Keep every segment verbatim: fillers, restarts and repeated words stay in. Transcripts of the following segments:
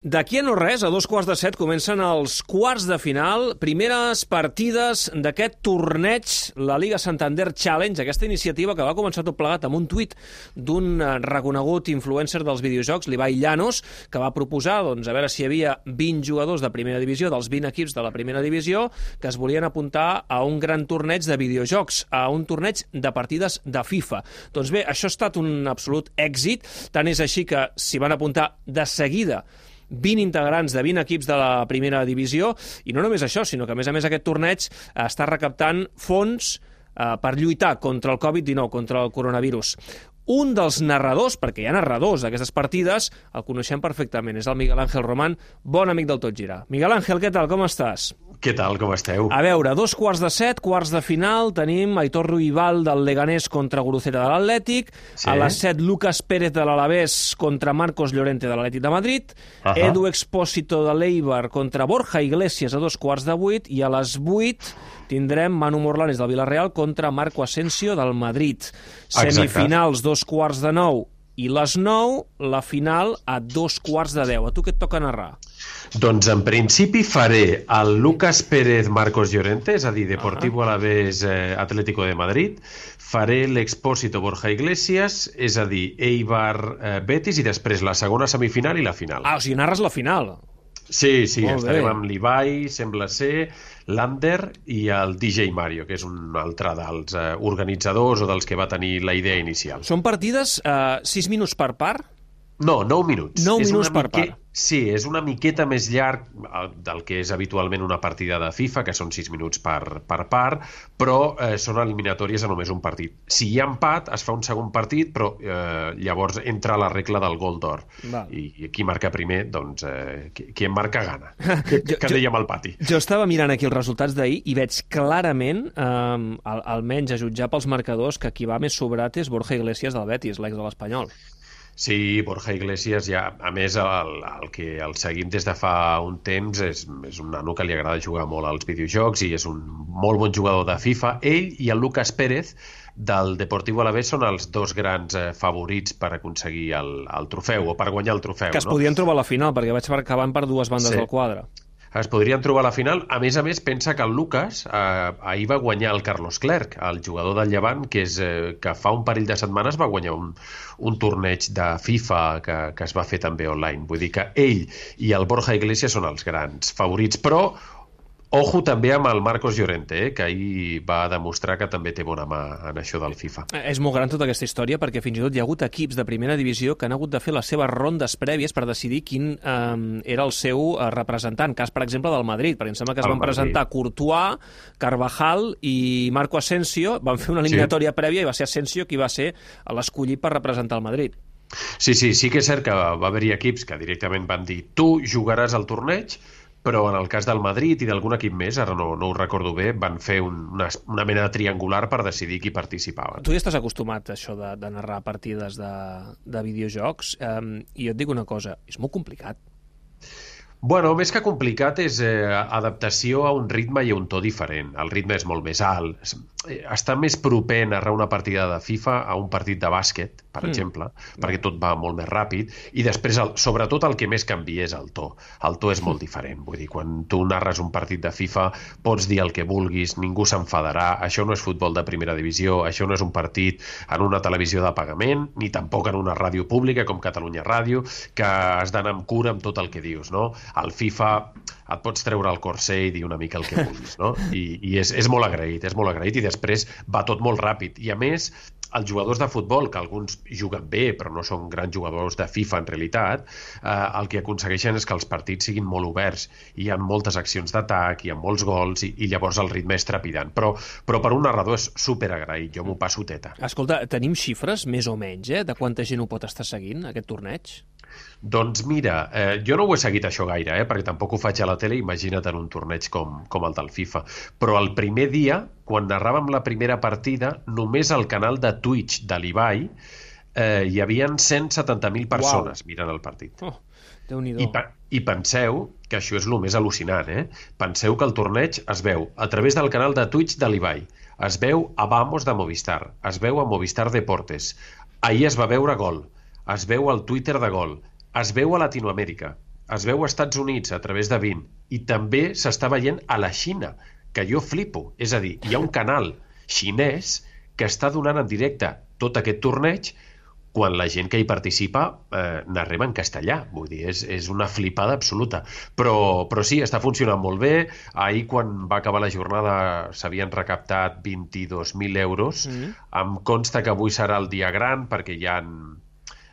D'aquí a no res, a dos quarts de set, comencen els quarts de final, primeres partides d'aquest torneig, la Liga Santander Challenge, aquesta iniciativa que va començar tot plegat amb un tuit d'un reconegut influencer dels videojocs, l'Ibai Llanos, que va proposar, doncs, a veure si hi havia vint jugadors de primera divisió, dels vint equips de la primera divisió, que es volien apuntar a un gran torneig de videojocs, a un torneig de partides de FIFA. Doncs bé, això ha estat un absolut èxit, tant és així que s'hi van apuntar de seguida vint integrants de vint equips de la primera divisió, i no només això, sinó que a més a més aquest torneig està recaptant fons eh, per lluitar contra el covid dinou, contra el coronavirus. Un dels narradors, perquè hi ha narradors d'aquestes partides, el coneixem perfectament, és el Miguel Ángel Román, bon amic del Tot Gira. Miguel Ángel, què tal, com estàs? Què tal, com esteu? A veure, dos quarts de set, quarts de final, tenim Aitor Ruibal del Leganés contra Guruceta de l'Atlètic, sí. A les set Lucas Pérez de l'Alavés contra Marcos Llorente de l'Atlètic de Madrid, uh -huh. Edu Expósito de l'Eibar contra Borja Iglesias a dos quarts de vuit, i a les vuit tindrem Manu Morlanes del Villarreal contra Marco Asensio del Madrid. Semifinals, dos quarts de nou, i les nou, la final a dos quarts de deu. A tu què et toca narrar? Doncs en principi faré el Lucas Pérez Marcos Llorente, és a dir, Deportivo Alavés eh, Atlético de Madrid, faré l'Expósito Borja Iglesias, és a dir, Eibar eh, Betis, i després la segona semifinal i la final. Ah, o sigui, narres la final. Sí, sí, Molt estarem bé. Amb l'Ibai, sembla ser, l'Ander i el D J Mario, que és un altre dels eh, organitzadors o dels que va tenir la idea inicial. Són partides eh, sis minuts per part? No, nou minuts. Nou minuts per part. Sí, és una miqueta més llarg del que és habitualment una partida de FIFA, que són sis minuts per, per part, però eh, són eliminatòries a només un partit. Si hi ha empat, es fa un segon partit, però eh, llavors entra la regla del gol d'or. I, I qui marca primer, doncs, eh, qui, qui en marca gana. Que, jo, que dèiem al pati. Jo estava mirant aquí els resultats d'ahir i veig clarament, eh, al, almenys a jutjar pels marcadors, que qui va més sobrat és Borja Iglesias del Betis, l'ex de l'Espanyol. Sí, Borja Iglesias, ja, a més, el, el que el seguim des de fa un temps és, és un nano que li agrada jugar molt als videojocs i és un molt bon jugador de FIFA. Ell i el Lucas Pérez del Deportivo Alavés són els dos grans eh, favorits per aconseguir el, el trofeu, o per guanyar el trofeu. Que es no? podien trobar a la final, perquè vaig acabant per dues bandes sí. del quadre. Es podrien trobar a la final. A més a més, pensa que el Lucas eh, ahir va guanyar el Carlos Clerc, el jugador del Llevant, que, és, eh, que fa un parell de setmanes va guanyar un, un torneig de FIFA que, que es va fer també online. Vull dir que ell i el Borja Iglesias són els grans favorits, però ojo també amb el Marcos Llorente, eh, que ahir va demostrar que també té bona mà en això del FIFA. És molt gran tota aquesta història, perquè fins i tot hi ha hagut equips de primera divisió que han hagut de fer les seves rondes prèvies per decidir quin eh, era el seu representant. Cas, per exemple, del Madrid, perquè em sembla que es el van Madrid. presentar Courtois, Carvajal i Marco Asensio, van fer una eliminatòria sí. prèvia i va ser Asensio qui va ser l'escollit per representar el Madrid. Sí, sí, sí que és cert que va haver-hi equips que directament van dir tu jugaràs al torneig, però en el cas del Madrid i d'algun equip més, ara no, no ho recordo bé, van fer un, una, una mena de triangular per decidir qui participava. Tu ja estàs acostumat a això de, de narrar partides de, de videojocs, um, i jo et dic una cosa, és molt complicat. Bueno, més que complicat és eh, adaptació a un ritme i a un to diferent. El ritme és molt més alt. Està més proper narrar una partida de FIFA a un partit de bàsquet, per mm. exemple, perquè tot va molt més ràpid, i després, el, sobretot, el que més canvia és el to. El to és molt diferent. Vull dir, quan tu narres un partit de FIFA pots dir el que vulguis, ningú s'enfadarà, això no és futbol de primera divisió, això no és un partit en una televisió de pagament, ni tampoc en una ràdio pública com Catalunya Ràdio, que has d'anar amb cura amb tot el que dius, no? Al FIFA et pots treure el corser i dir una mica el que vulguis, no? I, i és, és molt agraït, és molt agraït, i després va tot molt ràpid. I a més, els jugadors de futbol, que alguns juguen bé, però no són grans jugadors de FIFA en realitat, eh, el que aconsegueixen és que els partits siguin molt oberts, hi ha moltes accions d'atac, hi ha molts gols, i, i llavors el ritme és trepidant. Però, però per un narrador és superagraït, jo m'ho passo teta. Escolta, tenim xifres, més o menys, eh, de quanta gent ho pot estar seguint, aquest torneig? Doncs mira, eh, jo no ho he seguit això gaire, eh, perquè tampoc ho faig a la tele, imagina't en un torneig com, com el del FIFA. Però el primer dia, quan narràvem la primera partida, només al canal de Twitch de l'Ibai eh, hi havia cent setanta mil persones wow. mirant el partit. Oh, Déu-n'hi-do. I, I penseu que això és el més al·lucinant, eh? Penseu que el torneig es veu a través del canal de Twitch de l'Ibai, es veu a Vamos de Movistar, es veu a Movistar Deportes, ahir es va veure Gol, es veu al Twitter de Gol, es veu a Latinoamèrica, es veu als Estats Units a través de Bein i també s'està veient a la Xina, que jo flipo. És a dir, hi ha un canal xinès que està donant en directe tot aquest torneig quan la gent que hi participa eh, narreva en castellà. Vull dir, és, és una flipada absoluta. Però, però sí, està funcionant molt bé. Ahir, quan va acabar la jornada, s'havien recaptat vint-i-dos mil euros. Mm. Em consta que avui serà el dia gran, perquè hi ha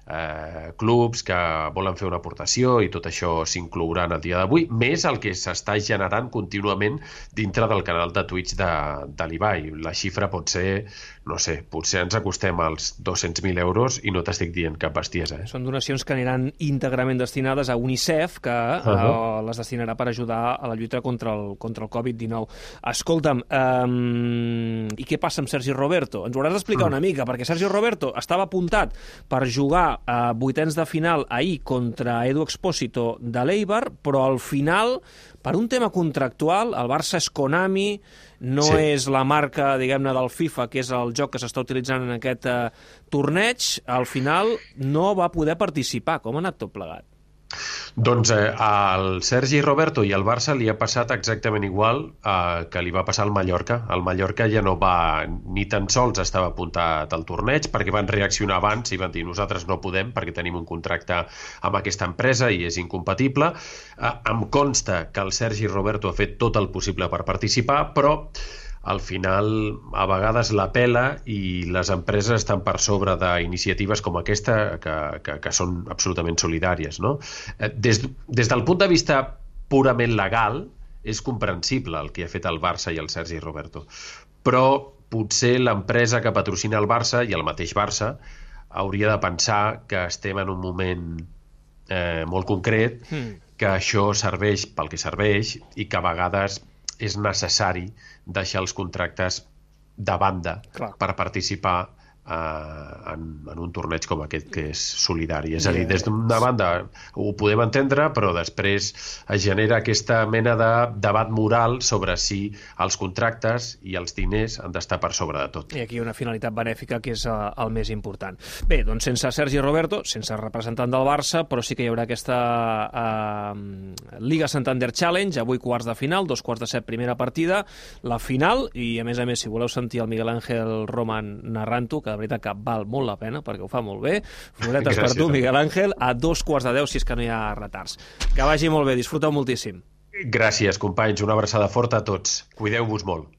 eh, clubs que volen fer una aportació i tot això s'inclourà en el dia d'avui, més el que s'està generant contínuament dintre del canal de Twitch de, de l'Ibai. La xifra pot ser, no sé, potser ens acostem als dos-cents mil euros i no t'estic dient cap bestiesa. Eh? Són donacions que aniran íntegrament destinades a UNICEF, que uh -huh. eh, les destinarà per ajudar a la lluita contra el, contra el covid dinou. Escolta'm, um, i què passa amb Sergi Roberto? Ens ho hauràs d'explicar uh -huh. una mica, perquè Sergi Roberto estava apuntat per jugar a vuitens de final ahir contra Edu Expósito de l'Eibar, però al final, per un tema contractual, el Barça és Konami, no sí. és la marca, diguem-ne, del FIFA, que és el joc que s'està utilitzant en aquest eh, torneig, al final no va poder participar. Com ha anat tot plegat? Doncs eh, al Sergi Roberto i al Barça li ha passat exactament igual eh, que li va passar al Mallorca. El Mallorca ja no va, ni tan sols estava apuntat al torneig, perquè van reaccionar abans i van dir nosaltres no podem perquè tenim un contracte amb aquesta empresa i és incompatible. Eh, em consta que el Sergi Roberto ha fet tot el possible per participar, però al final a vegades la pela i les empreses estan per sobre d'iniciatives com aquesta que, que, que són absolutament solidàries, no? Des, des del punt de vista purament legal és comprensible el que ha fet el Barça i el Sergi Roberto, però potser l'empresa que patrocina el Barça i el mateix Barça hauria de pensar que estem en un moment eh, molt concret, mm. que això serveix pel que serveix i que a vegades és necessari deixar els contractes de banda Clar. per participar eh, en, en un torneig com aquest que és solidari. És a dir, des d'una banda ho podem entendre, però després es genera aquesta mena de debat moral sobre si els contractes i els diners han d'estar per sobre de tot. I aquí una finalitat benèfica que és uh, el més important. Bé, doncs sense Sergi Roberto, sense representant del Barça, però sí que hi haurà aquesta uh, Liga Santander Challenge, avui quarts de final, dos quarts de set primera partida, la final, i a més a més, si voleu sentir el Miguel Ángel Roman narrant-ho, que de veritat que val molt la pena, perquè ho fa molt bé. Floretes per tu, Miguel Ángel, a dos quarts de deu, si és que no hi ha retards. Que vagi molt bé, disfruteu moltíssim. Gràcies, companys. Una abraçada forta a tots. Cuideu-vos molt.